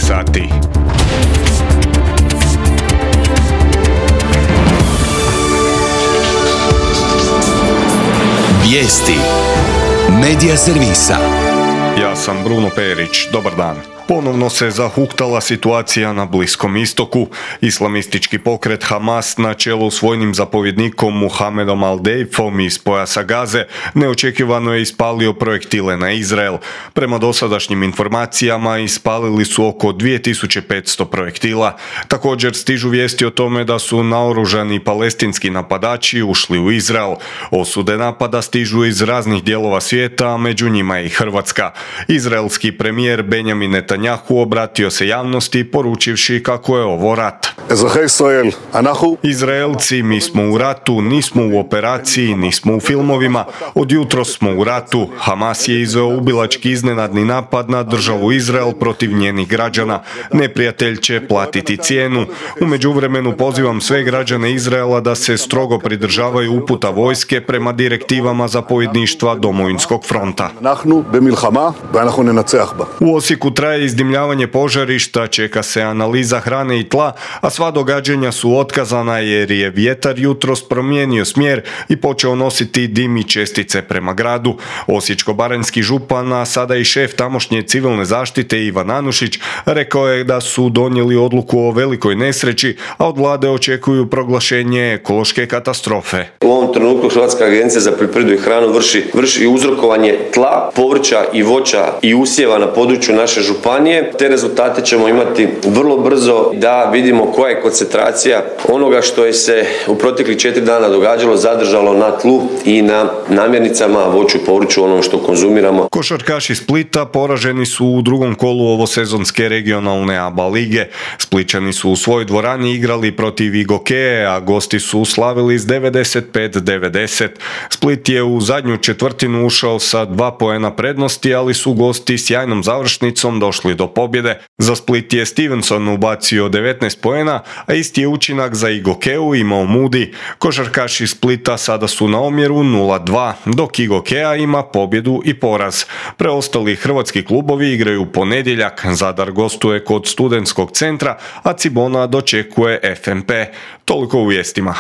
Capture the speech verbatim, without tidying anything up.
sati. Vijesti Medija servisa. Ja sam Bruno Perić, dobar dan. Ponovno se zahuktala situacija na Bliskom istoku. Islamistički pokret Hamas na čelu s vojnim zapovjednikom Muhamedom al-Deifom iz pojasa Gaze neočekivano je ispalio projektile na Izrael. Prema dosadašnjim informacijama ispalili su oko dvije tisuće petsto projektila. Također stižu vijesti o tome da su naoružani palestinski napadači ušli u Izrael. Osude napada stižu iz raznih dijelova svijeta, a među njima je i Hrvatska. Izraelski premijer Benjamin Netanjahu obratio se javnosti poručivši kako je ovo rat. Izraelci, mi smo u ratu, nismo u operaciji, nismo u filmovima. Od jutros smo u ratu. Hamas je izveo ubilački iznenadni napad na državu Izrael protiv njenih građana. Neprijatelj će platiti cijenu. U međuvremenu pozivam sve građane Izraela da se strogo pridržavaju uputa vojske prema direktivama zapovjedništva Domovinskog fronta. U Osijeku traje izdimljavanje požarišta, čeka se analiza hrane i tla, a sva događanja su otkazana jer je vjetar jutros promijenio smjer i počeo nositi dim i čestice prema gradu. Osječko-baranjski župan, a sada i šef tamošnje civilne zaštite Ivan Anušić, rekao je da su donijeli odluku o velikoj nesreći, a od vlade očekuju proglašenje ekološke katastrofe. U ovom trenutku Hrvatska agencija za poljoprivredu i hranu vrši, vrši uzrokovanje tla, povrća i voća i usjeva na području naše županije. Te rezultate ćemo imati vrlo brzo da vidimo koja je koncentracija onoga što je se u proteklih četiri dana događalo, zadržalo na tlu i na namirnicama, voću i povrću, ono što konzumiramo. Košarkaši Splita poraženi su u drugom kolu ovosezonske regionalne A B A lige. Splićani su u svojoj dvorani igrali protiv Igokeje, a gosti su slavili s devedeset pet devedeset. Split je u zadnju četvrtinu ušao sa dva poena prednosti, ali su gosti sjajnom završnicom došli do pobjede. Za Split je Stevenson ubacio devetnaest poena, a isti je učinak za Igokeju imao Moody. Košarkaši Splita sada su na omjeru nula dva, dok Igokeja ima pobjedu i poraz. Preostali hrvatski klubovi igraju ponedjeljak. Zadar gostuje kod Studentskog centra, a Cibona dočekuje F M P. Toliko u vijestima.